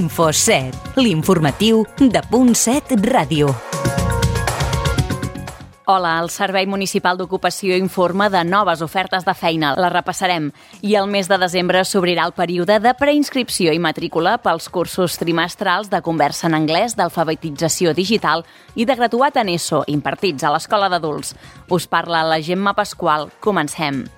Info7, l'informatiu de Punt 7 Ràdio. Hola, el Servei Municipal d'Ocupació informa de noves ofertes de feina. Les repassarem. I el mes de desembre s'obrirà el període de preinscripció i matrícula pels cursos trimestrals de conversa en anglès, d'alfabetització digital i de graduat en ESO, impartits a l'Escola d'Adults. Us parla la Gemma Pasqual. Comencem.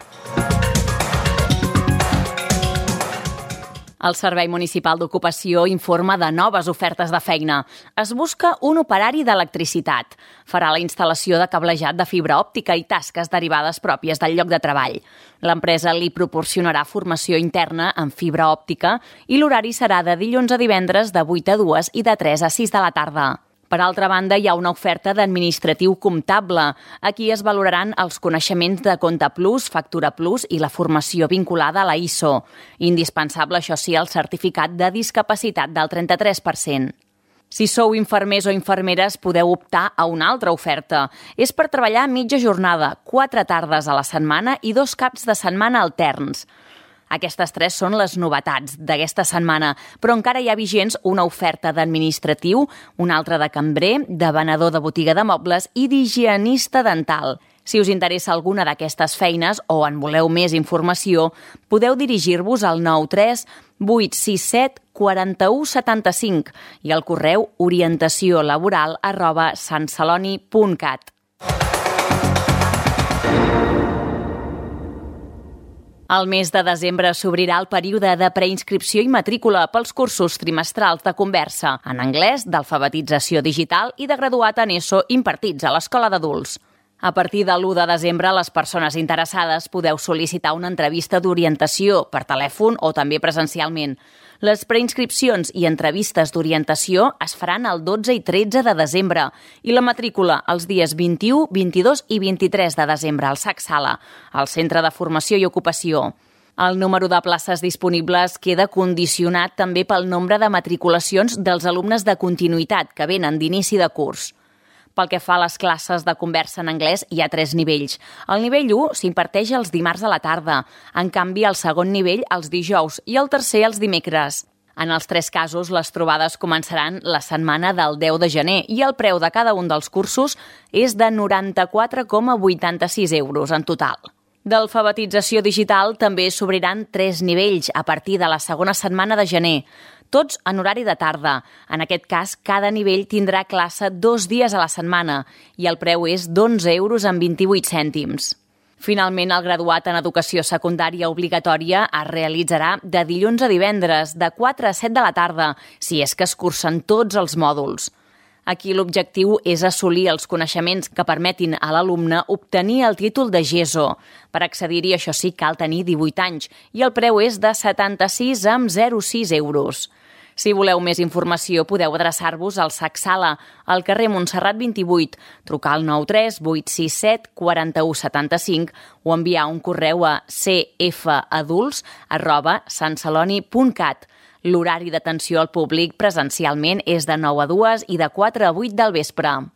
El Servei Municipal d'Ocupació informa de noves ofertes de feina. Es busca un operari d'electricitat. Farà la instal·lació de cablejat de fibra òptica i tasques derivades pròpies del lloc de treball. L'empresa li proporcionarà formació interna en fibra òptica i l'horari serà de dilluns a divendres de 8 a 2 i de 3 a 6 de la tarda. Per altra banda, hi ha una oferta d'administratiu comptable. Aquí es valoraran els coneixements de Compte Plus, Factura Plus i la formació vinculada a la ISO. Indispensable, això sí, el certificat de discapacitat del 33%. Si sou infermers o infermeres, podeu optar a una altra oferta. És per treballar mitja jornada, 4 tardes a la setmana i 2 caps de setmana alterns. Aquestes 3 són les novetats d'aquesta setmana, però encara hi ha vigents una oferta d'administratiu, una altra de cambrer, de venedor de botiga de mobles i d'higienista dental. Si us interessa alguna d'aquestes feines o en voleu més informació, podeu dirigir-vos al 93 867 41 75 i al correu orientaciolaboral@santceloni.cat. Al mes de desembre s'obrirà el període de preinscripció i matrícula pels cursos trimestrals de conversa en anglès, d'alfabetització digital i de graduat en ESO impartits a l'Escola d'Adults. A partir de l'1 de desembre, les persones interessades podeu sol·licitar una entrevista d'orientació per telèfon o també presencialment. Les preinscripcions i entrevistes d'orientació es faran el 12 i 13 de desembre i la matrícula els dies 21, 22 i 23 de desembre al SAC Sala, al Centre de Formació i Ocupació. El número de places disponibles queda condicionat també pel nombre de matriculacions dels alumnes de continuïtat que venen d'inici de curs. Pel que fa a les classes de conversa en anglès, hi ha 3 nivells. El nivell 1 s'imparteix els dimarts a la tarda, en canvi el segon nivell els dijous i el tercer els dimecres. En els 3 casos, les trobades començaran la setmana del 10 de gener i el preu de cada un dels cursos és de 94,86 euros en total. D'alfabetització digital també s'obriran 3 nivells a partir de la segona setmana de gener, tots en horari de tarda. En aquest cas, cada nivell tindrà classe 2 dies a la setmana i el preu és d'11,28 €. Finalment, el graduat en educació secundària obligatòria es realitzarà de dilluns a divendres, de 4 a 7 de la tarda, si és que es cursen tots els mòduls. Aquí l'objectiu és assolir els coneixements que permetin a l'alumne obtenir el títol de GESO. Per accedir-hi, això sí, cal tenir 18 anys i el preu és de 76,06 €. Si voleu més informació, podeu adreçar-vos al SAC Sala, al carrer Montserrat 28, trucar al 93 867 41 75 o enviar un correu a cfadults@santceloni.cat. L'horari d'atenció al públic presencialment és de 9 a 2 i de 4 a 8 del vespre.